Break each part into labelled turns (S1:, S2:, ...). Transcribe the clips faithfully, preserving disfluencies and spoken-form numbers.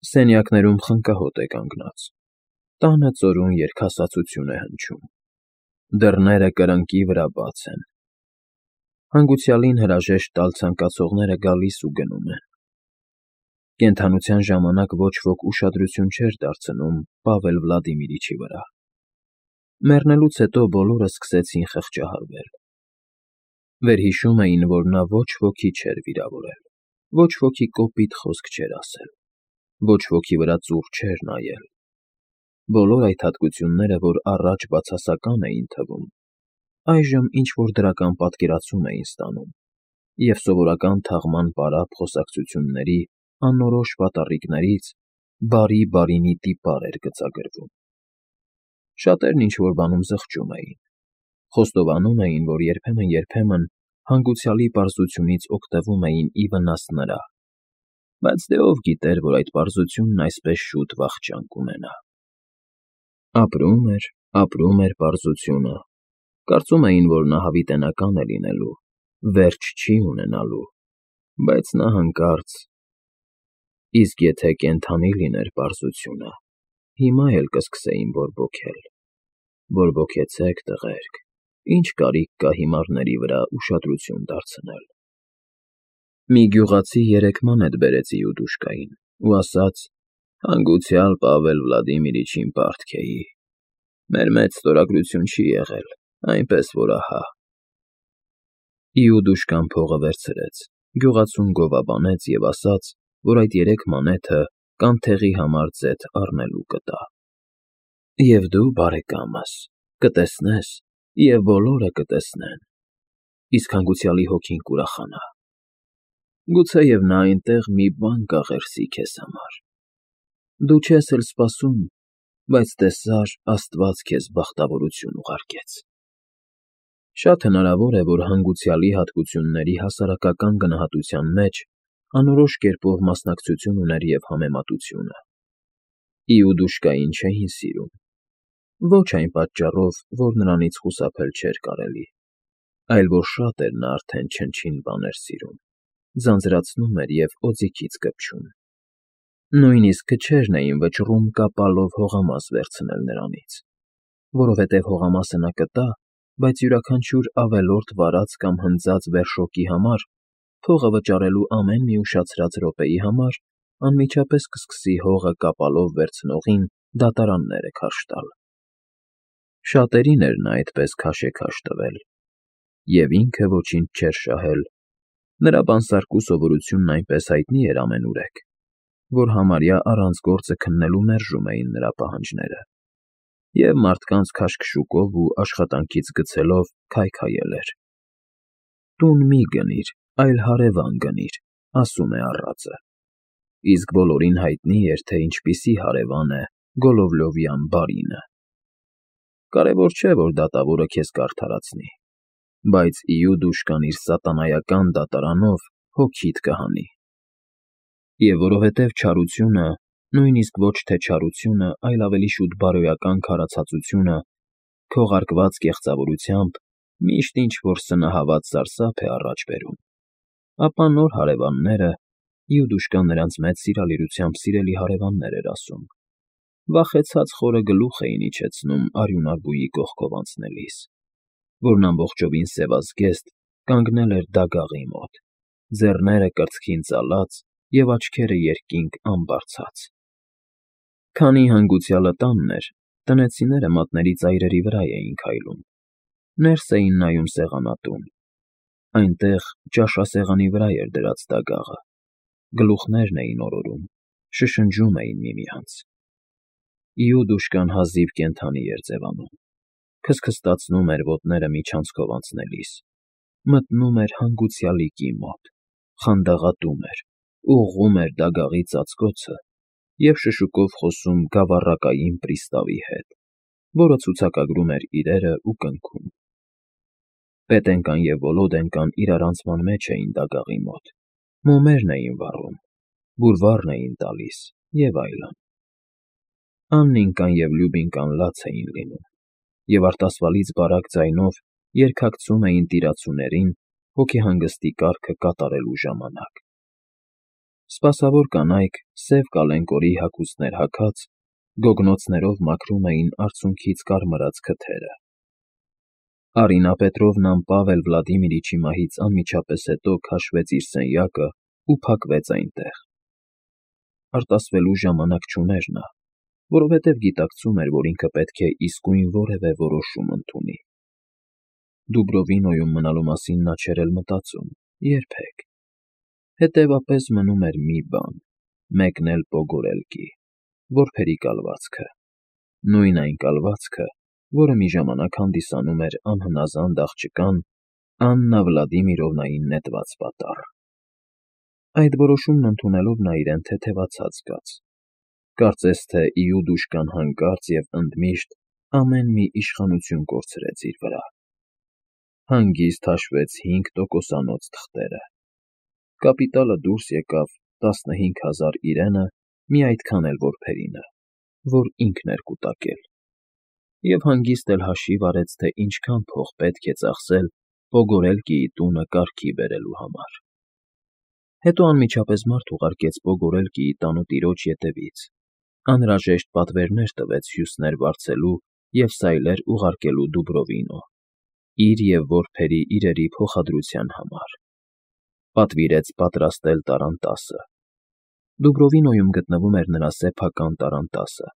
S1: Սենյակներում խնկահոտ է կանգնած, տանը ծորուն երգասացություն է հնչում, դռները կրկնակի վրա բաց են, հանգուցյալին հրաժեշտ տալ ցանկացողները գալիս ու գնում են. կենդանության ժամանակ ոչ ոք ուշադրություն չէր դարձնում Պավել Վլադիմիրիչի վրա, մեռնելուց հետո բոլորը սկսեցին խղճահարվել, վերհիշում էին, որ նա ոչ ոքի չէր վիրավորել, ոչ ոքի կոպիտ խոսք չէր ասել, ոչ ոքի վրա ծուռ չէր նայել, բոլոր այդ հատկությունները, որ առաջ բացասական էին թվում, այժմ ինչ֊որ դրական պատկերացում էին ստանում և սովորական թաղման պարապ խոսակցությունների անորոշ պատառիկներից բարի֊բարինի տիպար էր գծագրվում. շատերն ինչ֊որ բանում զղջում էին, խոստովանում էին, որ երբեմն֊երբեմն հանգուցյալի պարզությունից օգտվում էին ի վնաս նրա, բայց դե ով գիտեր, որ այդ պարզությունն այսպես շուտ վախճան կունենա… Ապրում էր, ապրում էր պարզությունը, կարծում էին, որ նա հավիտենական է լինելու, վերջ չի ունենալու, բայց նա հանկարծ… Իսկ եթե կենդանի լիներ պարզությունը, հիմա էլ կսկսեին բորբոքել… Բորբոքեցեք, տղերք, ինչ կարիք կա հիմարների վրա ուշադրություն դարձնել… Մի գյուղացի երեկ մանեթ բերեց Իուդուշկային ու ասաց. «Հանգուցյալ Պավել Վլադիմիրիչին պարտք էի, մեր մեծ ստորագրություն չի եղել, այնպես որ ահա…» Իուդուշկան փողը վերցրեց, գյուղացուն գովաբանեց և ասաց, որ այդ երեք մանեթը կանթեղի համար ձեթ առնելու կտա… «Եվ դու, բարեկամս, կտեսնես և բոլորը կտեսնեն, իսկ հանգուցյալի հոգին կուրախանա… Գուցեև նա այնտեղ մի բան կաղերսի քեզ համար… Դու չես էլ սպասում, բայց տեսար, աստված քեզ բախտավորություն ուղարկեց…» Շատ հնարավոր է, որ հանգուցյալի հատկությունների հասարակական գնահատության մեջ անորոշ կերպով մասնակցություն ուներ և համեմատությունը… Իուդուշկային չէին սիրում, ոչ այն պատճառով, որ նրանից խուսափել չէր կարելի, այլ որ շատ էր նա արդեն չնչին բաներ սիրում, ձանձրացնում էր և օձիքից կպչում… Նույնիսկ քչերն էին վճռում կապալով հողամաս վերցնել նրանից, որովհետև հողամասը նա կտա, բայց յուրաքանչյուր ավելորդ վարած կամ հնձած վերշոկի համար, փողը վճարելու ամեն մի ուշացրած րոպեի համար անմիջապես կսկսի հողը կապալով վերցնողին դատարանները քարշ տալ… Շատերին էր նա այդպես քաշեքաշ տվել, և ինքը ոչինչ չէր շահել, նրա բանսարկու սովորությունն այնպես հայտնի էր ամենուրեք, որ համարյա առանց գործը քննելու մերժում էին նրա պահանջները, և մարդկանց քաշքշուկով ու աշխատանքից գցելով քայքայել էր. «Տուն մի գնիր, այլ հարևան գնիր», ասում է առածը, իսկ բոլորին հայտնի էր, թե ինչպիսի հարևան է Գոլովլովյան բարինը… Կարևոր չէ, որ դատավորը քեզ կարդարացնի, բայց Իուդուշկան իր սատանայական դատարանով հոգիդ կհանի… Եվ որովհետև չարությունը, նույնիսկ ոչ թե չարությունը, այլ ավելի շուտ բարոյական քարացածությունը, քողարկված կեղծավորությամբ միշտ ինչ֊որ սնահավատ սարսափ է առաջ բերում, ապա նոր հարևանները (Իուդուշկան նրանց մեծ սիրալիրությամբ սիրելի հարևաններ էր ասում) վախեցած խորը գլուխ էին իջեցնում արյունարբույի կողքով անցնելիս, որն ամբողջովին սևազգեստ կանգնել էր դագաղի մոտ, ձեռները կրծքին ծալած և աչքերը երկինք անբարձած… Քանի հանգուցյալը տանն էր, տնեցիները մատների ծայրերի վրա էին քայլում, ներս էին նայում սեղանատուն, այնտեղ ճաշասեղանի վրա էր դրած դագաղը, գլուխներն էին օրորում, շշնջում էին միմյանց… Իուդուշկան հազիվ կենդանի էր ձևանում, քստքստացնում էր ոտները միջանցքով անցնելիս, մտնում էր հանգուցյալիկի մոտ, խանդաղատում էր, ուղղում էր դագաղի ծածկոցը և շշուկով խոսում գավառակային պրիստավի հետ, որը ցուցակագրում էր իրերն ու կնքում… Պետենկան և Վոլոդենկան իրարանցման մեջ էին դագաղի մոտ, մոմերն էին վառում, բուրվառն էին տալիս և այլն… Աննիկան և Լյուբինկան լաց էին լինում և արտասվալից բարակ ձայնով երգակցում էին տիրացուներին հոգեհանգստի կարգը կատարելու ժամանակ… Սպասավոր կանայք, սև կալենկորի հագուստներ հագած, գոգնոցներով մաքրում էին արցունքից կարմրած քթերը։ Արինա Պետրովնան Պավել Վլադիմիրիչի մահից անմիջապես հետո քաշվեց իր սենյակը ու փակվեց այնտեղ։ Արտասվելու ժամանակ չուներ նա, որովհետև գիտակցում էր, որ ինքը պետք է իսկույն որևէ որոշում ընդունի։ Դուբրովինոյում մնալու մասին նա չէր էլ մտածում, երբեք։ Հետևապես մնում էր մի բան՝ մեկնել Պոգորելկի, որբերի կալվածքը, նույն այն կալվածքը, որը մի ժամանակ հանդիսանում էր անհնազանդ աղջկան Աննա Վլադիմիրովնային նետված պատառ։ Այդ որոշումն ընդունելով նա իրեն թեթևացած զգաց, կարծես թե Իուդուշկան հանկարծ և ընդմիշտ ամեն մի իշխանություն կորցրեց իր վրա։ Հանգիստ հաշվեց հինգ տոկոսանոց թղթերը։ Կապիտալը դուրս եկավ տասնհինգ հազար իրենը, մի այդքան էլ որբերինը, որ ինքն էր կուտակել, և հանգիստ էլ հաշիվ արեց, թե ինչքան փող պետք է ծախսել Պոգորելկիի տունը կարգի բերելու համար։ Հետո անմիջապես մարդ ուղարկեց Պոգորելկիի տանուտիրոջ ետևից, անհրաժեշտ պատվերներ տվեց հյուսներ վարձելու և սայլեր ուղարկելու Դուբրովինո, իր և որբերի իրերի փոխադրության համար, պատվիրեց պատրաստել տառանտասը։ Դուբրովինոյում գտնվում էր նրա սեփական տառանտասը,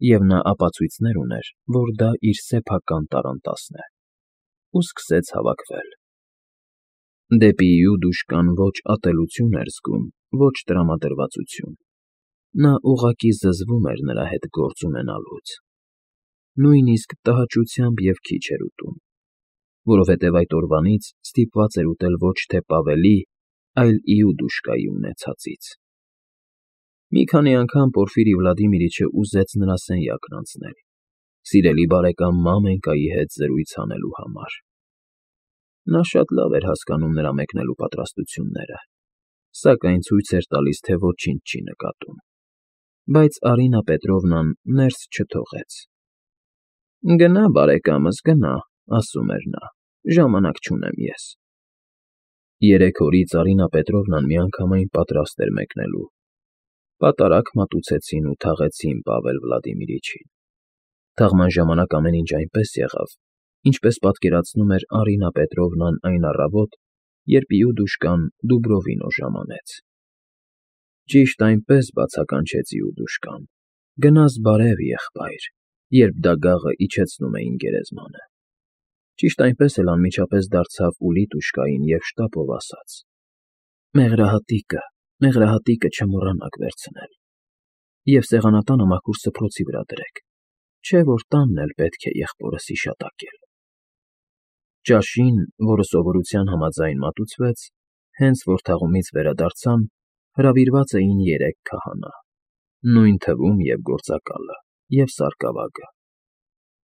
S1: և նա ապացույցներ ուներ, որ դա իր սեփական տառանտասն է, ու սկսեց հավաքվել։ Դեպի Իուդուշկան ոչ ատելություն էր զգում, ոչ տրամադրվածություն, նա ուղղակի զզվում էր նրա հետ գործ ունենալուց։ Նույնիսկ տհաճությամբ և քիչ էր ուտում, որովհետև այդ օրվանից ստիպված էր ուտել ոչ թե Պավելի, այլ Իուդուշկայի ունեցածից։ Մի քանի անգամ Պորֆիրի Վլադիմիրիչը ուզեց նրա սենյակն անցնել, սիրելի բարեկամ Մամենկայի հետ զրույց անելու համար։ Նա շատ լավ էր հասկանում նրա մեկնելու պատրաստությունները, սակայն ցույց էր տալիս, թե ոչինչ չի նկատում։ Բայց Արինա Պետրովնան ներս չթողեց։ «Գնա, բարեկամս, գնա», ասում էր նա, «ժամանակ չունեմ ես»։ Երեք օրից Արինա Պետրովնան միանգամայն պատրաստ էր մեկնելու։ Պատարագ մատուցեցին ու թաղեցին Պավել Վլադիմիրիչին։ Թաղման ժամանակ ամեն ինչ այնպես եղավ, ինչպես պատկերացնում էր Արինա Պետրովնան այն առավոտ, երբ Իուդուշկան Դուբրովինո ժամանեց։ Ճիշտ այնպես բացականչեց Իուդուշկան. «Գնաս բարև, եղբայր», երբ դագաղը իջեցնում էին գերեզմանը։ Ճիշտ այնպես էլ անմիջապես դարձավ Ուլիտուշկային և շտապով ասաց. «Մեղրահատիկը, մեղրահատիկը չմոռանաք վերցնել, և սեղանատանը մաքուր սփռոցի վրա դրեք, չէ՞ որ տանն էլ պետք է եղբորս հիշատակել»։ Ճաշին, որը սովորության համաձայն մատուցվեց, հենց որ թաղումից վերադարձան, հրավիրված էին երեք քահանա, նույն թվում և գործակալը, և սարկավագը։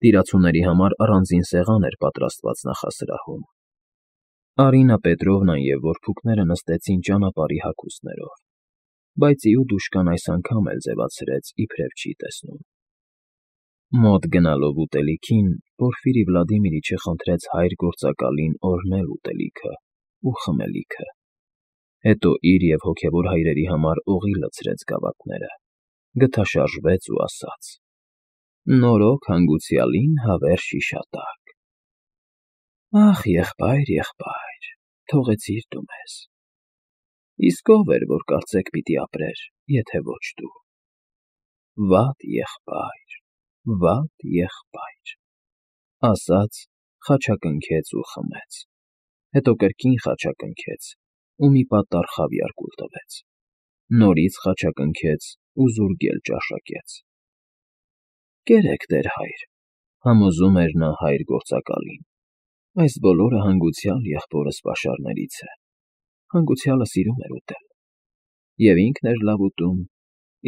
S1: Տիրացուների համար առանձին սեղան էր պատրաստված նախասրահում։ Արինա Պետրովնան և որբուքները նստեցին ճանապարհի հագուստներով, բայց Իուդուշկան այս անգամ էլ ձևացրեց, իբրև չի տեսնում։ Մոտ գնալով ուտելիքին, Պորֆիրի Վլադիմիրիչը խնդրեց հայր գործակալին օրհնել ուտելիքը ու խմելիքը, հետո իր և հոգևոր հայրերի համար օղի լցրեց գավաթները, գթաշարժվեց ու ասաց. «Նորոգ հանգուցյալին հավերժ հիշատակ»։ «Ախ, եղբայր, եղբայր, թողեցիր դու մեզ։ Իսկ ո՞վ էր, որ կարծեք պիտի ապրեր, եթե ոչ դու։ Վատ եղբայր, վատ եղբայր», ասաց, խաչակնքեց ու խմեց, հետո կրկին խաչակնքեց ու մի պատառ խավիար կուլ տվեց, նորից խաչակնքեց ու զուրգել ճաշակեց։ «Կերեք, տեր հայր», համոզում էր նա հայր գործակալին, «այս բոլորը հանգուցյալ եղբորս պաշարներից է, հանգուցյալը սիրում էր ուտել, և ինքն էր լավ ուտում,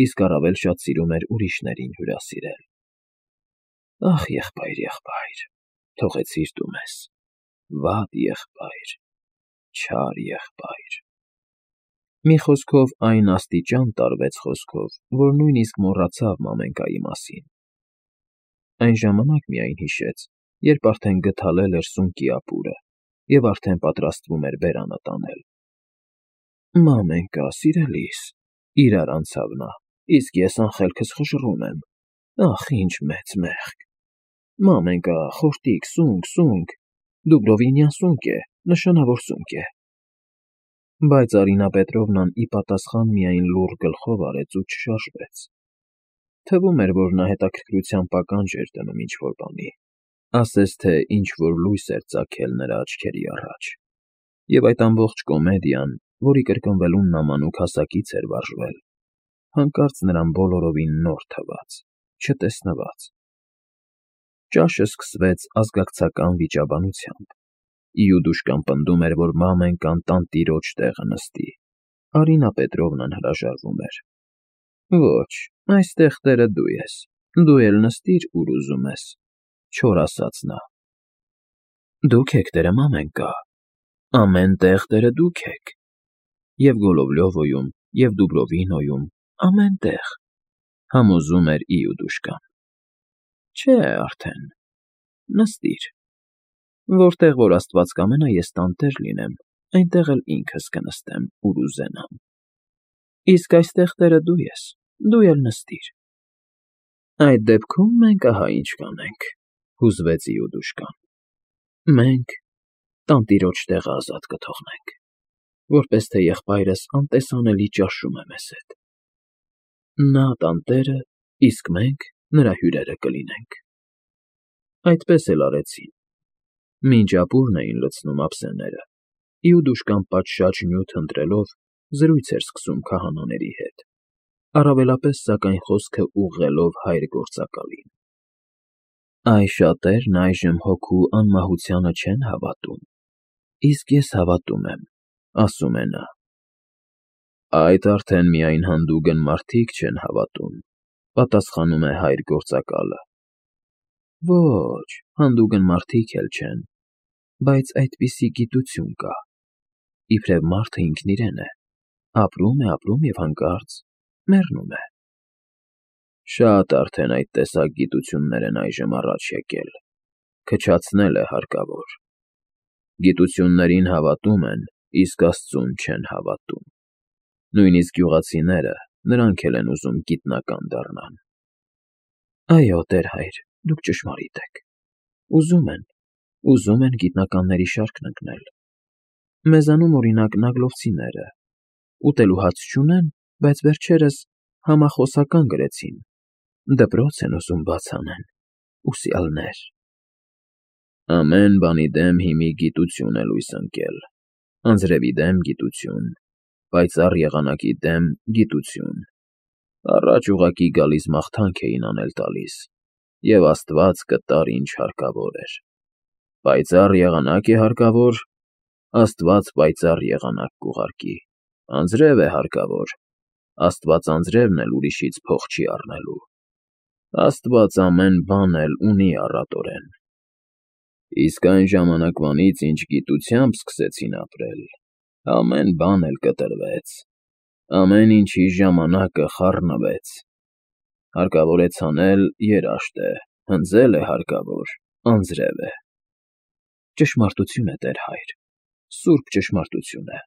S1: իսկ առավել շատ սիրում էր ուրիշներին հյուրասիրել։ Ախ, եղբայր, եղբայր, թողեցիր դու մեզ, վատ եղբայր, չար եղբայր»։ Մի խոսքով այն աստիճան տարվեց խոսքով, որ նույնիսկ մոռացավ Մամենկայի մասին։ Այն ժամանակ միայն հիշեց, երբ արդեն գդալել էր սունկի ապուրը և արդեն պատրաստվում էր բերանը տանել։ Մամենկա, սիրելիս, իրար անցավ նա, իսկ ես անխելքս խժռում եմ, ախ, ինչ մեծ մեղք, մամենկա, խորտիկ, սունկ, սունկ, Դուբրովինյան սունկ է, նշանավոր սունկ է։ Բայց Արինա Պետրովնան ի պատասխան միայն լուռ գլխով արեց ու չշարժվեց։ Թվում էր, որ նա հետաքրքրությամբ ականջ էր դնում ինչ-որ բանի, ասես թե ինչ-որ լույս էր ծագել նրա աչքերի առաջ, և այդ ամբողջ կոմեդիան, որի կրկնվելուն նա մանուկ հասակից էր վարժվել, հանկարծ նրան բոլորովին նոր թվաց, չտեսնված։ Ճաշը սկսվեց ազգակցական վիճաբանությամբ։ Իուդուշկան պնդում էր, որ մամենկան տանտիրոջ տեղը նստի, Արինա Պետրովնան հրաժարվում էր։ Ոչ, այստեղ տերը դու ես, դու էլ նստիր, ուր ուզում ես, չոր ասաց նա։ Դուք եք տերը, մամենկա, ամեն տեղ տերը դուք եք, և Գոլովլյովոյում, և Դուբրովինոյում, ամեն տեղ, համոզում էր Իուդուշկան։ Չէ արդեն, նստիր, որտեղ որ աստված կամենա ես տանտեր լինեմ, այնտեղ էլ ինքս կնստեմ, ուր ուզենամ։ Իսկ այստեղ տերը դու ես, դու էլ նստիր։ Այդ դեպքում մենք ահա ինչ կանենք, հուզվեց Իուդուշկան։ Մենք տանտիրոջ տեղը ազատ կթողնենք, որպես թե եղբայրս անտեսանելի ճաշում է մեզ հետ։ Նա տանտերը, իսկ մենք նրա հյուրերը կլինենք։ Այդպես էլ արեցին։ Մինչ ապուրն էին լցնում ափսեները, Իուդուշկան պատշաճ նյութ ընտրելով զրույց էր սկսում քահանաների հետ, առավելապես սակայն խոսքը ուղղելով հայր գործակալին։ Այ շատերն այժմ հոգու անմահությանը չեն հավատում, իսկ ես հավատում եմ, ասում է նա։ Այդ արդեն միայն հանդուգն մարդիկ չեն հավատում, պատասխանում է հայր գործակալը։ Ոչ, հանդուգն մարդիկ էլ չեն, բայց այդպիսի գիտություն կա, իբրև մարդը ինքն իրեն է, ապրում է, ապրում և հանկարծ մեռնում է։ Շատ արդեն այդ տեսակ գիտություններ են այժմ առաջ եկել, քչացնել է հարկավոր։ Գիտություններին հավատում են, իսկ աստծուն չեն հավատում։ Նույնիսկ գյուղացիները, նրանք էլ են ուզում գիտնական դառնան։ Այո, տեր հայր, դուք ճշմարիտ եք, ուզում են, ուզում են գիտնականների շարքն ընկնել։ Մեզանում, օրինակ, նագլովցիները, ուտելու հաց չունեն, բայց վերջերս համախոսական գրեցին, դպրոց են ուզում բաց անեն, ուսյալներ։ Ամեն բանի դեմ հիմի գիտություն է լույս ընկել, անձրևի դեմ գիտություն, պայծառ եղանակի դեմ գիտություն, առաջ ուղղակի գալիս մաղթանք էին անել տալիս, և աստված կտար ինչ հարկավոր էր։ Պայծառ եղանակ է հարկավոր, աստված պայծառ եղանակ կուղարկի, անձրև է հարկավոր, աստված անձրևն էլ ուրիշից փող չի առնելու, աստված ամեն բան էլ ունի առատորեն։ Իսկ այն ժամանակվանից, ինչ գիտությամբ սկսեցին ապրել, ամեն բան էլ կտրվեց, ամեն ինչի ժամանակը խառնվեց, հարկավոր է ցանել, երաշտ է, հնձել է հարկավոր, անձրև է։ Ճշմարտություն է, տեր հայր, սուրբ ճշմարտություն է։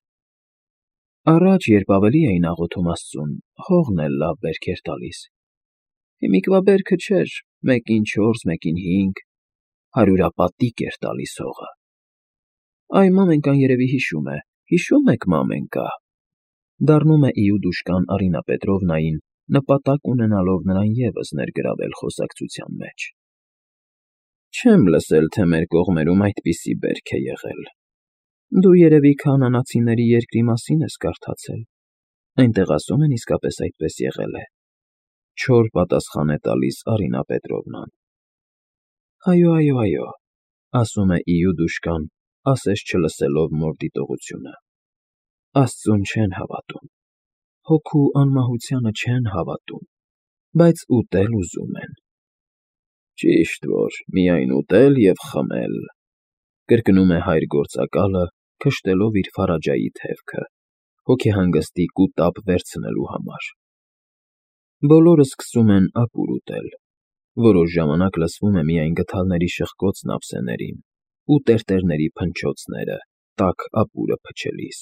S1: Առաջ, երբ ավելի էին աղոթում աստծուն, հողն էլ լավ բերք էր տալիս։ Հիմիկվա բերքը չէր, մեկին չորս, մեկին հինգ, հարյուրապատիկ էր տալիս հողը։ Այ մամենկան երևի հիշում է, հիշո՞ւմ եք, մամենկա, դառնում է Իուդուշկան Արինա Պետրովնային, նպատակ ունենալով նրան ևս ներգրավել խոսակցության մեջ։ Չեմ լսել, թե մեր կողմերում այդպիսի բերք է եղել։ Դու երևի քանանացիների երկրի մասին ես կարդացել, այնտեղ ասում են իսկապես այդպես եղել է, չոր պատասխան է տալիս Արինա Պետրովնան։ Այո, այո, այո, ասում է Իուդուշկան, ասես չլսելով մոր դիտողությունը։ Աստծուն չեն հավատում, հոգու անմահությանը չեն հավատում, բայց ուտել ուզում են։ Ճիշտ որ, միայն ուտել և խմել, կրկնում է հայր գործակալը, քշտելով իր ֆարաջայի թևքը, հոգեհանգստի կուտապ վերցնելու համար։ Բոլորը սկսում են ապուր ուտել, որոշ ժամանակ լսվում է միայն գդալների շխկոցն ափսեներին ու տերտերների փնչոցները տաք ապուրը փչելիս։